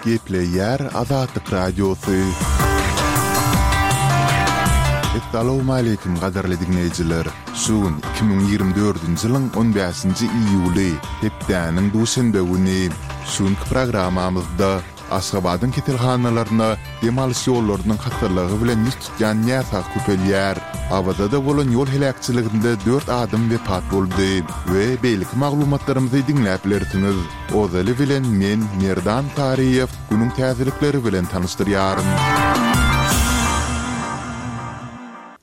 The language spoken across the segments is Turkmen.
Gepleýär Azatlyk Radiosy. Essalawmaleýkim gadyrly diňleýjiler! Şu gün 2024-nji ýylyň on bäşinji iýuly, hepdäniň duşenbe güni. Şu günki programmamyzda Aşgabadyň keselhanalaryna dem alyş ýollarynyň hassalygy bilen ýüz tutýan näsag köpelýär. Awazada bolan ýol heläkçiliginde dört adam wepat boldy we beýleki maglumatlarymyzy diňläp bilersiňiz. Ozaly bilen men, Merdan Taryýew, günüň täzelikleri bilen tanyşdyrýaryn.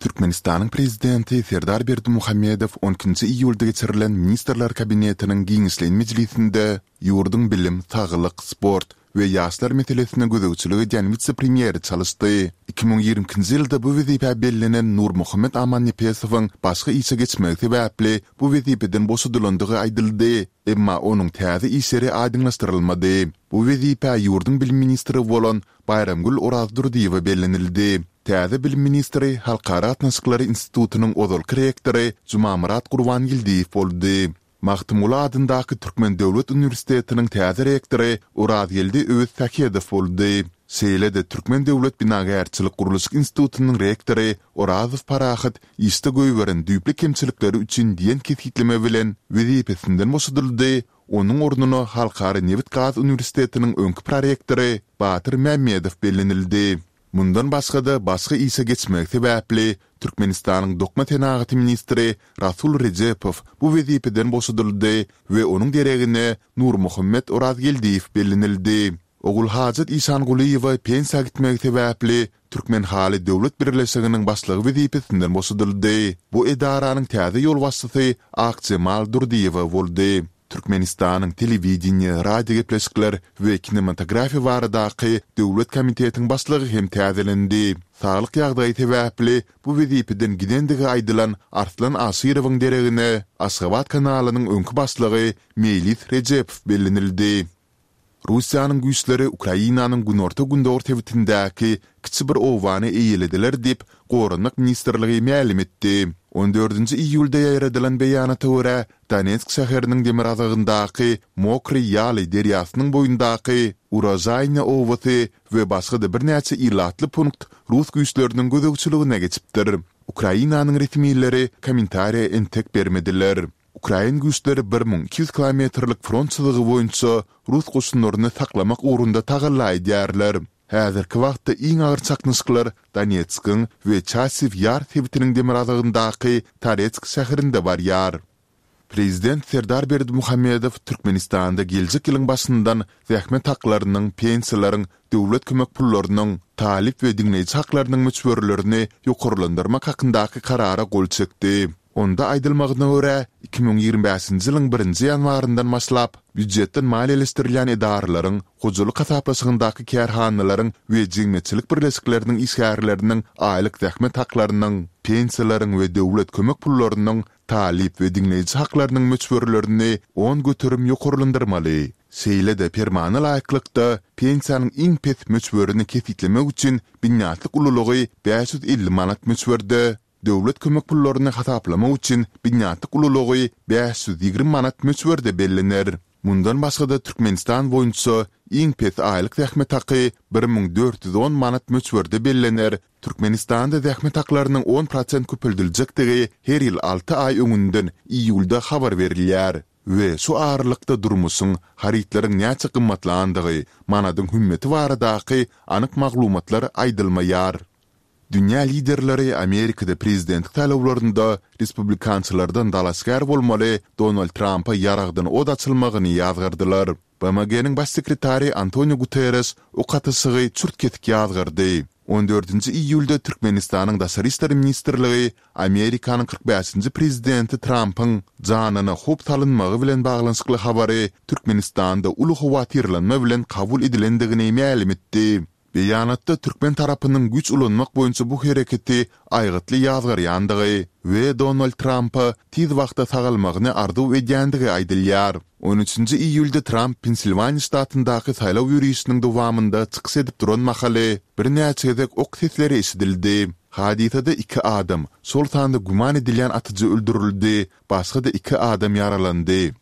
Türkmenistanyň Prezidenti Serdar Berdimuhamedow on ikinji iýulda geçirilen Ministrler Kabinetiniň giňişleýin mejlisinde Ýurduň bilim, saglyk, sport we ýaşlar meselesine gözegçilik edýän wise-premýeri çalyşdy. 2022-nji ýylda bu wezipä bellenen Nurmuhammet Amannepesowyň başga işe geçmegi sebäpli bu wezipeden boşadylandygy aýdyldy, emma onuň täze iş ýeri aýdyňlaşdyrylmady. Bu wezipä ýurduň bilim ministri bolan Baýramgül Orazdurdyýewa bellenildi. Täze bilim ministri Halkara gatnaşyklary institutynyň ozalky rektory Jumamyrat Gurbangeldiýew boldy. Magtymguly adyndaky Türkmen döwlet uniwersitetiniň täze rektory Orazgeldi Öwezsähedow boldy. Şeýle-de Türkmen döwlet binagärçilik-gurluşyk institutynyň rektory Orazow Parahat işde goýberen düýpli kemçilikleri üçin diýen kesgitleme bilen wezipesinden boşadyldy, onuň ornuna Halkara nebit-gaz uniwersitetiniň öňki prorektory Batyr Mämmedow bellenildi. Mundan başga-da, başga işe geçmegi sebäpli, Türkmenistanyň Dokma senagaty ministri Rasul Rejepow bu wezipeden boşadyldy we onuň deregine Nurmuhammet Orazgeldiýew bellenildi. Ogulhajat Işangulyýewa pensiýa gitmegi sebäpli, Türkmenhaly döwlet birleşiginiň başlygy wezipesinden boşadyldy. Bu edaranyň täze ýolbaşçysy Akjemal Durdyýewa boldy. Türkmenistanyň Telewideniýe, radiogepleşikler we kinematografiýa baradaky döwlet komitetiň başlygy hem täzelendi. Saglyk ýagdaýy sebäpli bu wezipeden gidendigi aýdylan Arslan Aşyrowyň deregine Aşgabat kanalynyň öňki başlygy Meýlis Rejepow bellenildi. Russiýanyň güýçleri Ukrainanyň günorta-gündogar sebitindäki kiçi bir obany eýelediler diýip, Goranmak ministrligi mälim etdi. On dördünji iýulda ýaýradylan beýanata görä, Donetsk şäheriniň demirgazygyndaky Mokryý Ýaly derýasynyň boýundaky Urožaýnýa obasy we başga-da birnäçe ilatly punkt rus güýçleriniň gözegçiligine geçipdir. Ukrainanyň resmileri kommentariýa entek bermediler. Ukrain güýçleri 1200 kilometrlik front çyzygy boýunça rus goşunlaryny saklamak ugrunda tagalla edýärler. Häzirki wagtda iň agyr çaknyşyklar Donetskiň we Çasiw Ýar sebitiniň demirgazygyndaky Toretsk şäherinde barýar. Prezident Serdar Berdimuhamedow Türkmenistanda geljek ýylyň başyndan zähmet haklarynyň, pensiýalaryň, döwlet kömek pullarynyň, talyp we diňleýji haklarynyň möçberlerini ýokarlandyrmak hakyndaky Karara gol çekdi. Onda aýdylmagyna görä, 2025-nji ýylyň birinji ýanwaryndan başlap, býujetden maliýeleşdirilýän edaralaryň, hojalyk hasaplaşygyndaky kärhanalaryň we jemgyýetçilik birleşikleriniň işgärleriniň aýlyk zähmet haklarynyň, pensiýalaryň we döwlet kömek pullarynyň, talyp we diňleýji haklarynyň möçberlerini 10% ýokarlandyrmaly. Şeýle-de permana laýyklykda, pensiýanyň iň pes möçberini kesgitlemek üçin binýatlyk ululygy 550 manat möçberde, Döwlet kömek pullaryny hasaplamak üçin binýatlyk ululygy 520 manat möçberde bellener. Mundan başga-da Türkmenistan boýunça iň pes aýlyk zähmet haky 1410 manat möçberde bellener. Türkmenistanda zähmet haklarynyň on prosent köpeldiljekdigi her ýyl alty aý öňünden iýulda habar berilýär we şu aralykda durmuşyň, harytlaryň näçe gymmatlandygy, manadyň hümmeti baradaky anyk maglumatlar aýdylmaýar. Dünýä liderleri Amerikada prezidentlik saýlawlarynda respublikançylardan dalaşgär bolmaly Donald Trampa ýaragdan od açylmagyny ýazgardylar. BMG-niň Baş sekretary Antonio Guterreş ok atyşygy çürt-kesik ýazgardy. On dördünji iýulda Türkmenistanyň Daşary işler ministrligi Amerikanyň 45-nji prezidenti Trampyň janyna howp salynmagy bilen baglanyşykly habary Türkmenistanda uly howatyrlanma bilen kabul edilendigini mälim etdi. Beýanatda türkmen tarapynyň güýç ulanmak boýunça bu hereketi aýgytly ýazgarýandygy we Donald Trampa tiz wagtda sagalmagyny arzuw edýändigi aýdylýar. On üçünji iýulda Tramp Pensilwaniýa ştatyndaky saýlaw ýörişiniň dowamynda çykyş edip duran mahaly birnäçe gezek ok sesleri eşidildi. Hadysada iki adam, şol sanda güman edilýän atyjy öldürildi, başga-da iki adam ýaralandy.